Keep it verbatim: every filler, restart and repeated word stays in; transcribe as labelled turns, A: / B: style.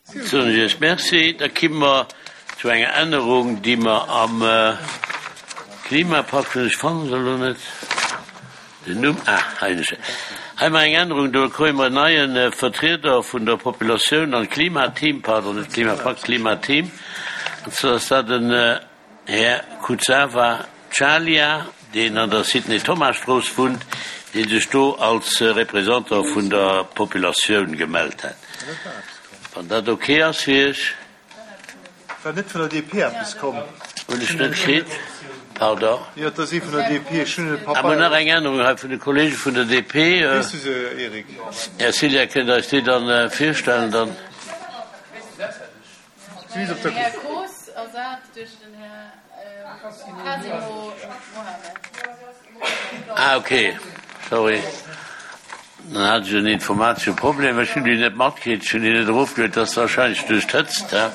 A: Soen ech Iech Merci. Da kimme mer zu enger Ännerung, déi mer am Klimapakt hunn. Ech fannen se elo net, den Numm. Ah, hei hunn ech se. Hei hu mer eng Ännerung, do kréie mer en neie Vertrieder vun der Populatioun an Klimateam, pardon, net Klimapakt, Klimateam. An zwar ass dat den Här Kuzawa Chalia, deen an der Sidney Thomas Strooss wunnt, dee sech do als Représentant vun der Populatioun gemellt hat. Wann dat ok ass fir Iech.
B: War net vun der D P eppes komm?
A: Hunn ech net kritt, pardon.
B: Jo, et ass ee vun der D P. Ech hunn e
A: Ah, mer hunn nach eng Ännerung hei vun de Kollege vun der D P.
B: Weess du se, Eric?
A: Här Cilla, kënnt Der eis déi dann virstellen dann?
C: Den Här Koos ersat duerch den Här Kasimo Mohamed.
A: Ah, ok, sorry, dann hat ech en informatesche Problem. Ech hunn déi net matkritt, ech hunn déi net erofgeluet. Dat ass wahrscheinlech duerch d'Hëtzt, he?